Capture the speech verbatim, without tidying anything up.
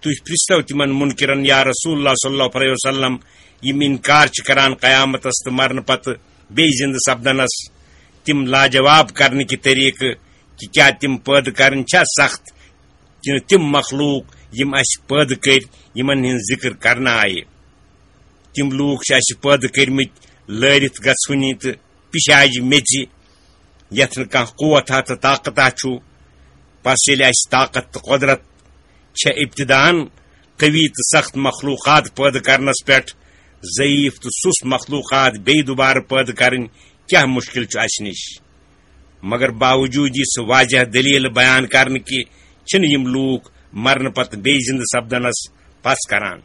تُہۍ پرژھتو تِمن منکرن، یا رسول اللہ صلی اللہ علیہ وسلم، یِم انکار چھِ کران قیامتس تہٕ مرنہٕ پتہٕ بیٚیہِ زِندٕ سپدنس، تِم لاجواب کرنہٕ کہِ طریقہٕ کہِ کیا تِم پٲدٕ کرٕنۍ چھا سخت، کِنہٕ تِم مخلوق یِم اسہِ پٲدٕ کٔرۍ، یِمن ہٕنٛز ذکر کرنہٕ آیہِ؟ تِم لوٗکھ چھِ اسہِ پٲدٕ کٔرمٕتۍ لٲرِتھ گژھوٕنی تہٕ پِشاجہِ میٚژِ، یتھ نہٕ کانٛہہ قوت ہا تہٕ طاقت ہا چھُ۔ پس ییٚلہِ اسہِ طاقت تہٕ قۄدرت چھےٚ ابتداءً قوی تہٕ سخت مخلوقات پٲدٕ کرنس پٮ۪ٹھ، ضعیف تہٕ سُس مخلوقات بیٚیہِ دوبارٕ پٲدٕ کرٕنۍ کیٛاہ مُشکِل چھُ اسہِ نِش؟ مگر باوجود یہِ سُہ واضح دٔلیٖل بیان کرنہٕ کہِ چھِنہٕ یِم لوٗکھ مرنہٕ پتہٕ بیٚیہِ زِندٕ سپدنس پژھ کران۔